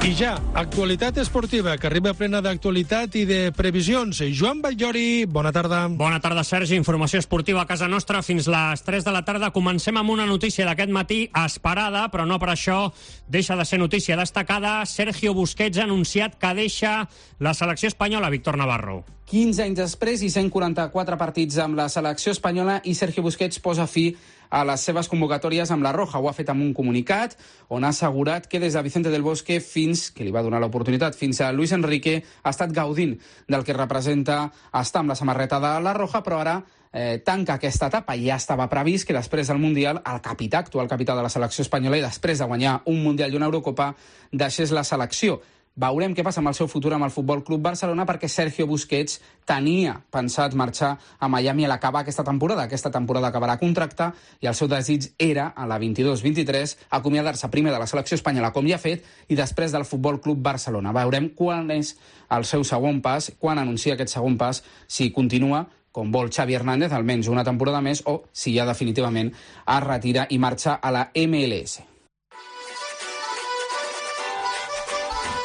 I ja, actualitat esportiva, que arriba plena d'actualitat i de previsions. Joan Batllori, bona tarda. Bona tarda, Sergi. Informació esportiva a casa nostra fins les 3 de la tarda. Comencem amb una notícia d'aquest matí esperada, però no per això deixa de ser notícia destacada. Sergio Busquets ha anunciat que deixa la selecció espanyola, Víctor Navarro. 15 anys després i 144 partits amb la selecció espanyola i Sergio Busquets posa fi a les seves convocatòries amb la Roja. Ho ha fet amb un comunicat on ha assegurat que des de Vicente del Bosque que li va donar l'oportunitat, fins a Luis Enrique, ha estat gaudint del que representa estar amb la samarreta de la Roja, però ara tanca aquesta etapa. Ja estava previst que després del Mundial el capità, actual capità de la selecció espanyola, i després de guanyar un Mundial i una Eurocopa, deixés la selecció. Veurem què passa amb el seu futur amb el Futbol Club Barcelona, perquè Sergio Busquets tenia pensat marxar a Miami a l'acabar aquesta temporada. Aquesta temporada acabarà contracte i el seu desig era, a la 22-23, acomiadar-se primer de la selecció espanyola, com ja ha fet, i després del Futbol Club Barcelona. Veurem quan és el seu segon pas, quan anuncia aquest segon pas, si continua com vol Xavi Hernández, almenys una temporada més, o si ja definitivament es retira i marxa a la MLS.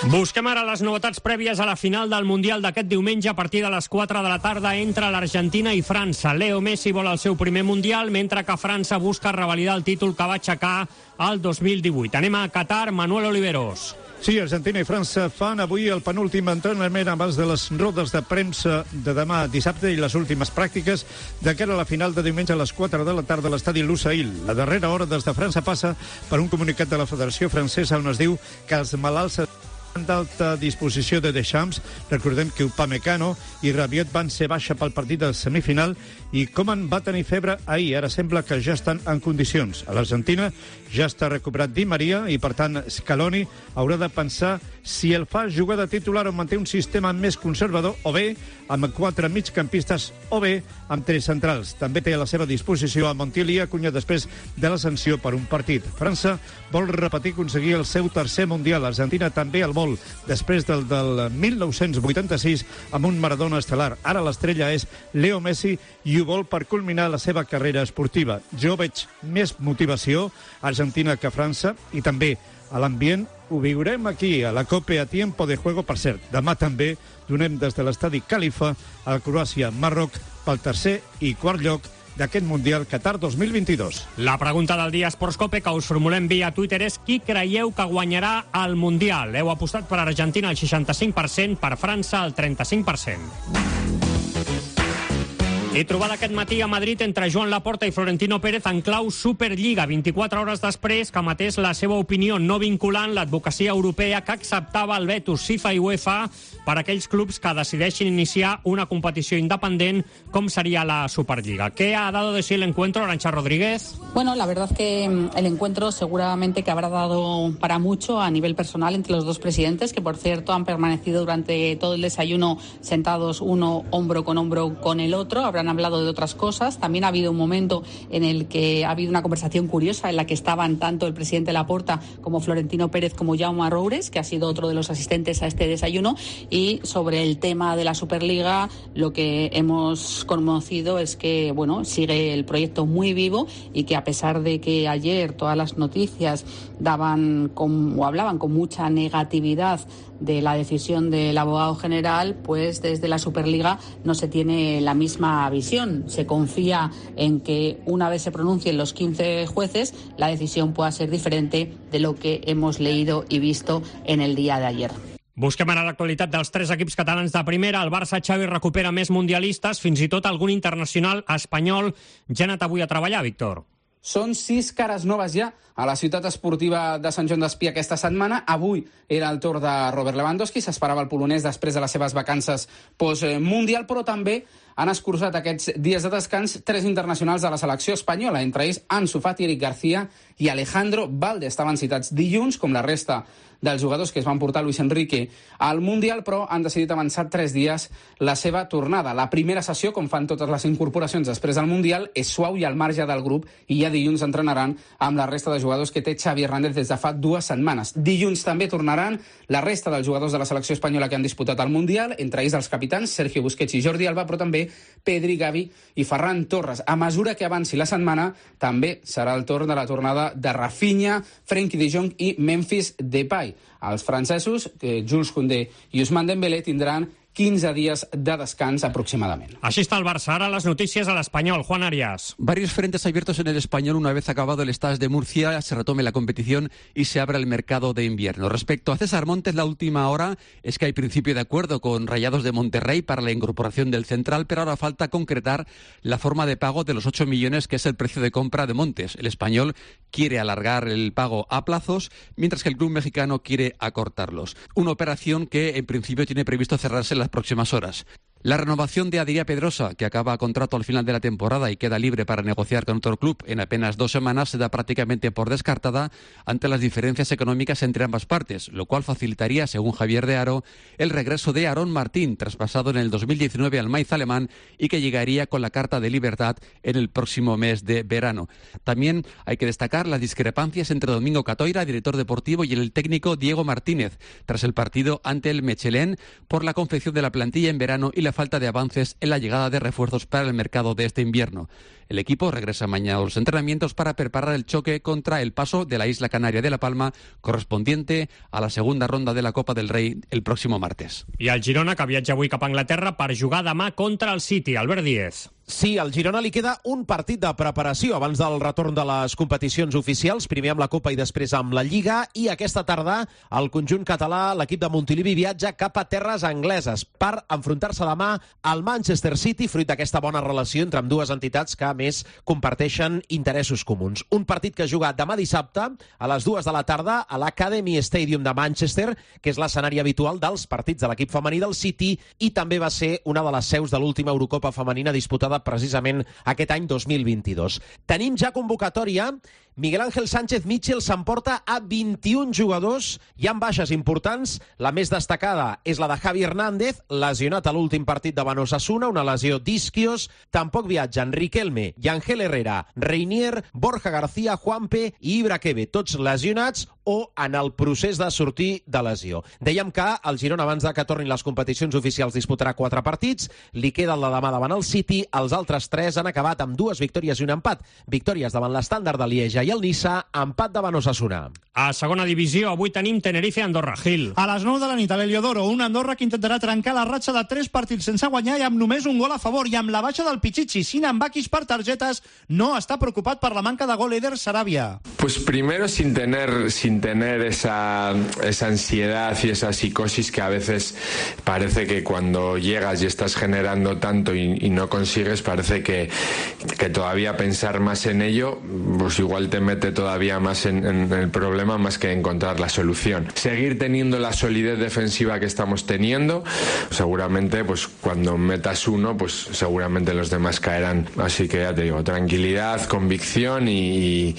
Busquem ara les novetats prèvies a la final del Mundial d'aquest diumenge a partir de les 4 de la tarda entre l'Argentina i França. Leo Messi vol el seu primer Mundial, mentre que França busca revalidar el títol que va aixecar el 2018. Anem a Qatar, Manuel Oliveros. Sí, Argentina i França fan avui el penúltim entrenament abans de les rodes de premsa de demà dissabte i les últimes pràctiques de cara a la final de diumenge a les 4 de la tarda a l'estadi Lusail. La darrera hora des de França passa per un comunicat de la Federació Francesa on es diu que els malalts d'alta disposició de Deschamps. Recordem que Upamecano i Rabiot van ser baixa pel partit del semifinal i Koeman va tenir febre ahir. Ara sembla que ja estan en condicions. A l'Argentina ja està recuperat Di Maria i, per tant, Scaloni haurà de pensar si el fa jugar de titular o manté un sistema més conservador, o bé amb 4 migcampistes, o bé amb 3 centrals. També té a la seva disposició a Montiel i Acuña després de la sanció per un partit. França vol repetir aconseguir el seu tercer Mundial. Argentina també el vol, després del 1986 amb un Maradona estel·lar. Ara l'estrella és Leo Messi i ho vol per culminar la seva carrera esportiva. Jo veig més motivació a Argentina que a França, i també a l'ambient ho viurem aquí a la Copa a tiempo de juego. Per cert, demà també donem des de l'estadi Califa a Croàcia-Marroc pel tercer i quart lloc d'aquest Mundial Qatar 2022. La pregunta del dia Esports Cope que us formulem via Twitter és: qui creieu que guanyarà el Mundial? Heu apostat per Argentina al 65%, per França al 35%. He trobat aquest matí a Madrid entre Joan Laporta i Florentino Pérez en clau Superliga, 24 hores després que emetés la seva opinió no vinculant l'advocacia europea que acceptava el vetos FIFA i UEFA per a aquells clubs que decideixin iniciar una competició independent com sería la Superliga. ¿Qué ha dado de sí el encuentro, Arantxa Rodríguez? Bueno, la verdad que el encuentro seguramente que habrá dado para mucho a nivel personal entre los dos presidentes, que por cierto han permanecido durante todo el desayuno sentados uno hombro con el otro. Han hablado de otras cosas. También ha habido un momento en el que ha habido una conversación curiosa en la que estaban tanto el presidente Laporta como Florentino Pérez como Jaume Roures, que ha sido otro de los asistentes a este desayuno, y sobre el tema de la Superliga lo que hemos conocido es que bueno, sigue el proyecto muy vivo y que a pesar de que ayer todas las noticias hablaban con mucha negatividad de la decisión del abogado general, pues desde la Superliga no se tiene la misma visión. Se confía en que una vez se pronuncien los 15 jueces, la decisión pueda ser diferente de lo que hemos leído y visto en el día de ayer. Busquem ara l'actualitat dels 3 equips catalans de primera. El Barça, Xavi, recupera més mundialistes, fins i tot algun internacional espanyol ja ha anat avui a treballar, Víctor. Són 6 cares noves ja a la ciutat esportiva de Sant Joan d'Espí aquesta setmana. Avui era el torn de Robert Lewandowski, s'esperava el polonès després de les seves vacances post-mundial, però també han escurçat aquests dies de descans 3 internacionals de la selecció espanyola, entre ells Ansu Fati, Eric García i Alejandro Valde. Estaven citats dilluns, com la resta dels jugadors que es van portar Luis Enrique al Mundial, però han decidit avançar 3 dies la seva tornada. La primera sessió, com fan totes les incorporacions després del Mundial, és suau i al marge del grup, i ja dilluns entrenaran amb la resta de jugadors que té Xavi Hernández des de fa 2 setmanes. Dilluns també tornaran la resta dels jugadors de la selecció espanyola que han disputat el Mundial, entre ells els capitans Sergio Busquets i Jordi Alba, però també Dembélé, Pedri, Gavi i Ferran Torres. A mesura que avanci la setmana, també serà el torn de la tornada de Rafinha, Frenkie de Jong i Memphis Depay. Els francesos, Jules Koundé i Ousmane Dembélé, tindran 15 días de descans aproximadamente. Així està el Barça. Ara les notícies a l'Espanyol. Juan Arias. Varios frentes abiertos en el Español una vez acabado el Stade de Murcia, se retome la competición y se abre el mercado de invierno. Respecto a César Montes, la última hora es que hay principio de acuerdo con Rayados de Monterrey para la incorporación del central, pero ahora falta concretar la forma de pago de los 8 millones que es el precio de compra de Montes. El Español quiere alargar el pago a plazos, mientras que el club mexicano quiere acortarlos. Una operación que en principio tiene previsto cerrarse en las próximas horas. La renovación de Adrià Pedrosa, que acaba contrato al final de la temporada y queda libre para negociar con otro club en apenas 2 semanas, se da prácticamente por descartada ante las diferencias económicas entre ambas partes, lo cual facilitaría, según Javier de Haro, el regreso de Aarón Martín, traspasado en el 2019 al Mainz alemán y que llegaría con la carta de libertad en el próximo mes de verano. También hay que destacar las discrepancias entre Domingo Catoira, director deportivo, y el técnico Diego Martínez, tras el partido ante el Mechelen, por la confección de la plantilla en verano y la falta de avances en la llegada de refuerzos para el mercado de este invierno. El equipo regresa mañana a los entrenamientos para preparar el choque contra el Paso de la isla canaria de La Palma, correspondiente a la segunda ronda de la Copa del Rei el próximo martes. I el Girona, que viatja avui cap a Anglaterra per jugar demà contra el City. Albert Díez. Sí, al Girona li queda un partit de preparació abans del retorn de les competicions oficials, primer amb la Copa i després amb la Lliga, i aquesta tarda el conjunt català, l'equip de Montilivi, viatja cap a terres angleses per enfrontar-se demà al Manchester City, fruit d'aquesta bona relació entre ambdues entitats que, a més, comparteixen interessos comuns. Un partit que juga demà dissabte a les 2 de la tarda a l'Academy Stadium de Manchester, que és l'escenari habitual dels partits de l'equip femení del City i també va ser una de les seus de l'última Eurocopa femenina disputada precisament aquest any 2022. Tenim ja convocatòria. Miguel Ángel Sánchez Mitchell s'emporta a 21 jugadors. Hi ha baixes importants. La més destacada és la de Javi Hernández, lesionat a l'últim partit davant Osasuna, una lesió d'isquios. Tampoc viatgen Riquelme, Yangel Herrera, Reinier, Borja García, Juanpe i Ibraquebe, tots lesionats o en el procés de sortir de lesió. Dèiem que el Girona, abans de que tornin les competicions oficials, disputarà 4 partits. Li queda el de demà davant el City. Els altres 3 han acabat amb 2 victòries i un empat. Victòries davant l'Estàndard de Lieja i el Niça, empat davant Osasuna. A segona divisió, avui tenim Tenerife-Andorra. Gil. A les 9 de la nit a l'Heliodoro, un Andorra que intentarà trencar la ratxa de 3 partits sense guanyar i amb només un gol a favor, i amb la baixa del Pichichi, Sinan Bakis per targetes, no està preocupat per la manca de gol Eder Sarabia. Pues primero sin tener esa ansiedad y esa psicosis que a veces parece que cuando llegas y estás generando tanto y no consigues, parece que todavía pensar más en ello, pues igual te mete todavía más en el problema más que encontrar la solución. Seguir teniendo la solidez defensiva que estamos teniendo, seguramente pues cuando metas uno, pues seguramente los demás caerán. Así que ya te digo, tranquilidad, convicción y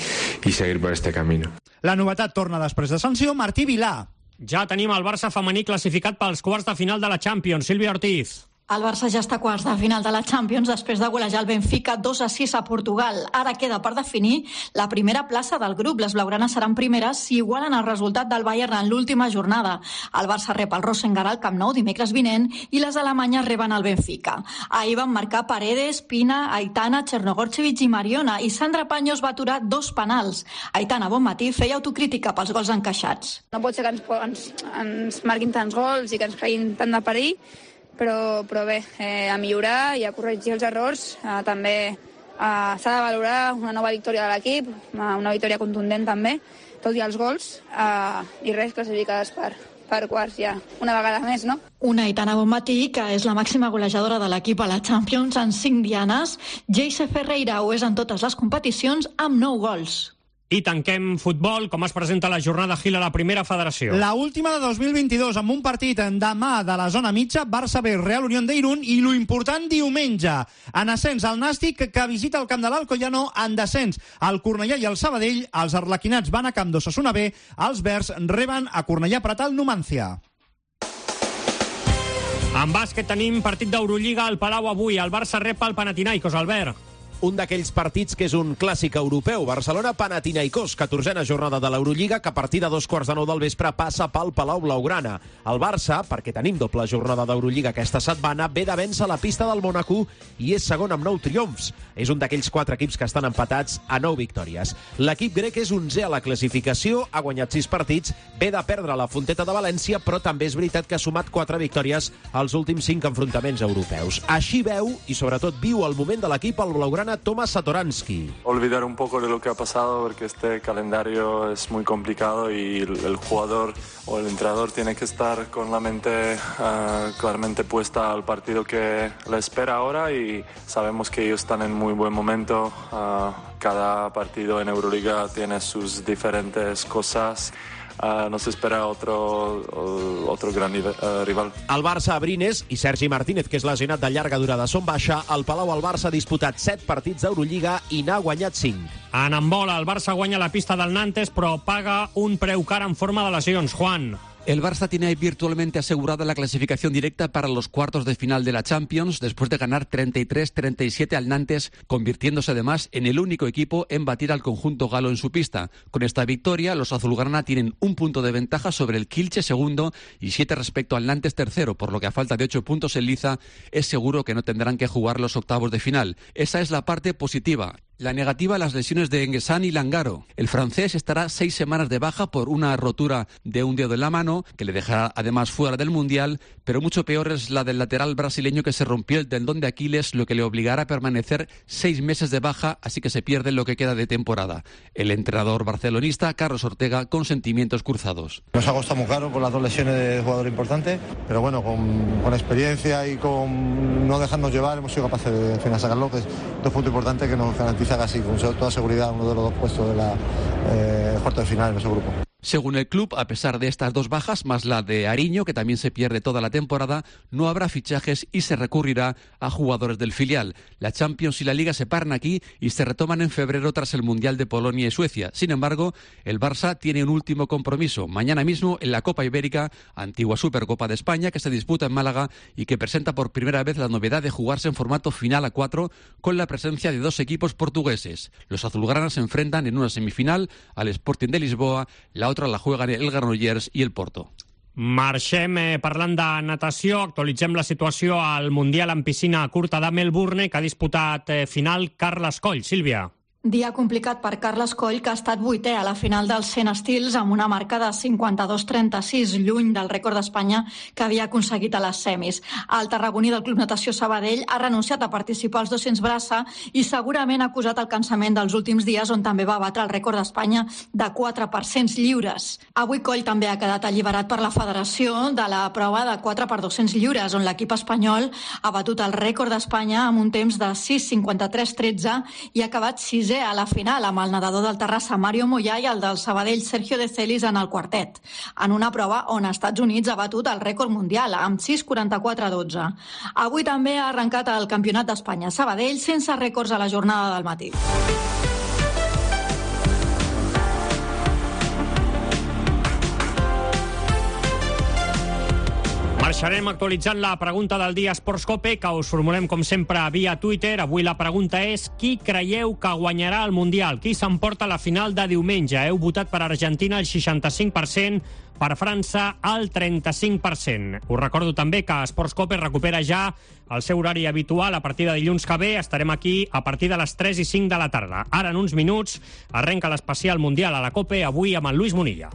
seguir por este camino. La novetat torna després de sanció, Martí Vilà. Ja tenim el Barça femení classificat pels quarts de final de la Champions. Sílvia Ortiz. El Barça ja està a quarts de final de la Champions després de golejar el Benfica 2-6 a Portugal. Ara queda per definir la primera plaça del grup. Les blaugranes seran primeres si igualen el resultat del Bayern en l'última jornada. El Barça rep el Rosengar al Camp Nou dimecres vinent i les alemanyes reben el Benfica. Ahir van marcar Paredes, Pina, Aitana, Chernogorchevich i Mariona, i Sandra Paños va aturar 2 penals. Aitana Bonmatí feia autocrítica pels gols encaixats. No pot ser que ens marquin tants gols i que ens creguin tant de perill, però bé, a millorar i a corregir els errors. També s'ha de valorar una nova victòria de l'equip, una victòria contundent també, tot i els gols, i res, classificades per quarts ja, una vegada més, no? Una Aitana Bonmatí, que és la màxima golejadora de l'equip a la Champions en 5 dianes. Geise Ferreira ho és en totes les competicions amb 9 gols. I tanquem futbol. Com es presenta la jornada, Gil, a la primera federació? La última de 2022, amb un partit demà de la zona mitja, Barça B, Real Unión de Irún, i lo important diumenge. En ascens, el Nàstic, que visita el camp de l'Alcoyano. En descens, el Cornellà i el Sabadell. Els arlequinats van a camp d'Osasuna B. Els verds reben a Cornellà Prat al Numancia. En bàsquet tenim partit d'Eurolliga al Palau avui. El Barça rep el Panathinaikos, Albert. un d'aquells partits que és un clàssic europeu. Barcelona-Panathinaikos, 14a jornada de l'Eurolliga, que a partir de 2:15 del vespre passa pel Palau Blaugrana. El Barça, perquè tenim doble jornada d'Eurolliga aquesta setmana, ve de vèncer la pista del Mónaco i és segon amb 9 triomfs. És un d'aquells 4 equips que estan empatats a 9 victòries. L'equip grec és 11è a la classificació, ha guanyat 6 partits, ve de perdre la Fonteta de València, però també és veritat que ha sumat 4 victòries als últims 5 enfrontaments europeus. Així veu, i sobretot viu el moment de l'equip, el blaugrana Tomas Satoransky. Olvidar un poco de lo que ha pasado, porque este calendario es muy complicado y el jugador o el entrenador tiene que estar con la mente claramente puesta al partido que le espera ahora, y sabemos que ellos están en muy buen momento. Cada partido en Euroliga tiene sus diferentes cosas. Nos espera otro gran rival. El Barça a Brines i Sergi Martínez, que és lesionat de llarga durada, són baixa. Al Palau el Barça ha disputat 7 partits d'Eurolliga i n'ha guanyat 5. En handbol, el Barça guanya la pista del Nantes, però paga un preu car en forma de lesions. Juan. El Barça tiene virtualmente asegurada la clasificación directa para los cuartos de final de la Champions después de ganar 33-37 al Nantes, convirtiéndose además en el único equipo en batir al conjunto galo en su pista. Con esta victoria, los azulgrana tienen un punto de ventaja sobre el Kielce segundo y 7 respecto al Nantes tercero, por lo que a falta de 8 puntos en liza es seguro que no tendrán que jugar los octavos de final. Esa es la parte positiva. La negativa a las lesiones de Enguesán y Langaro. El francés estará 6 semanas de baja por una rotura de un dedo en la mano, que le dejará además fuera del Mundial, pero mucho peor es la del lateral brasileño, que se rompió el tendón de Aquiles, lo que le obligará a permanecer 6 meses de baja, así que se pierde lo que queda de temporada. El entrenador barcelonista, Carlos Ortega, con sentimientos cruzados. Nos ha costado muy caro con las 2 lesiones de jugador importante, pero bueno, con experiencia y con no dejarnos llevar, hemos sido capaces de al final sacarlo, que es 2 puntos importantes que nos garantiza casi con toda seguridad uno de los 2 puestos de la cuarto de final en nuestro grupo. Según el club, a pesar de estas 2 bajas, más la de Ariño, que también se pierde toda la temporada, no habrá fichajes y se recurrirá a jugadores del filial. La Champions y la Liga se paran aquí y se retoman en febrero tras el Mundial de Polonia y Suecia. Sin embargo, el Barça tiene un último compromiso, mañana mismo en la Copa Ibérica, antigua Supercopa de España, que se disputa en Málaga y que presenta por primera vez la novedad de jugarse en formato final a 4, con la presencia de 2 equipos portugueses. Los azulgranas se enfrentan en una semifinal al Sporting de Lisboa, la otra la juegan el Granollers i el Porto. Marxem parlant de natació. Actualitzem la situació al Mundial en piscina curta de Melbourne, que ha disputat final Carles Coll. Sílvia. Dia complicat per Carles Coll, que ha estat 8è a la final dels 100 estils amb una marca de 52-36, lluny del rècord d'Espanya que havia aconseguit a les semis. El tarragoní del Club Natació Sabadell ha renunciat a participar als 200 braça i segurament ha acusat el cansament dels últims dies, on també va batre el rècord d'Espanya de 4x100 lliures. Avui Coll també ha quedat alliberat per la federació de la prova de 4x200 lliures, on l'equip espanyol ha batut el rècord d'Espanya amb un temps de 6:53:13 i ha acabat 6è a la final amb el nedador del Terrassa Mario Moyà i el del Sabadell Sergio De Celis en el quartet, en una prova on Estats Units ha batut el rècord mundial amb 6:44:12. Avui també ha arrencat el Campionat d'Espanya Sabadell sense rècords a la jornada del matí. Marxarem actualitzant la pregunta del dia Esportscope, que us formulem com sempre via Twitter. Avui la pregunta és: qui creieu que guanyarà el Mundial? Qui s'emporta la final de diumenge? Heu votat per Argentina el 65%, per França el 35%. Us recordo també que Esportscope recupera ja el seu horari habitual a partir de dilluns que ve. Estarem aquí a partir de les 3:05 de la tarda. Ara, en uns minuts, arrenca l'especial Mundial a la COPE, avui amb el Lluís Munilla.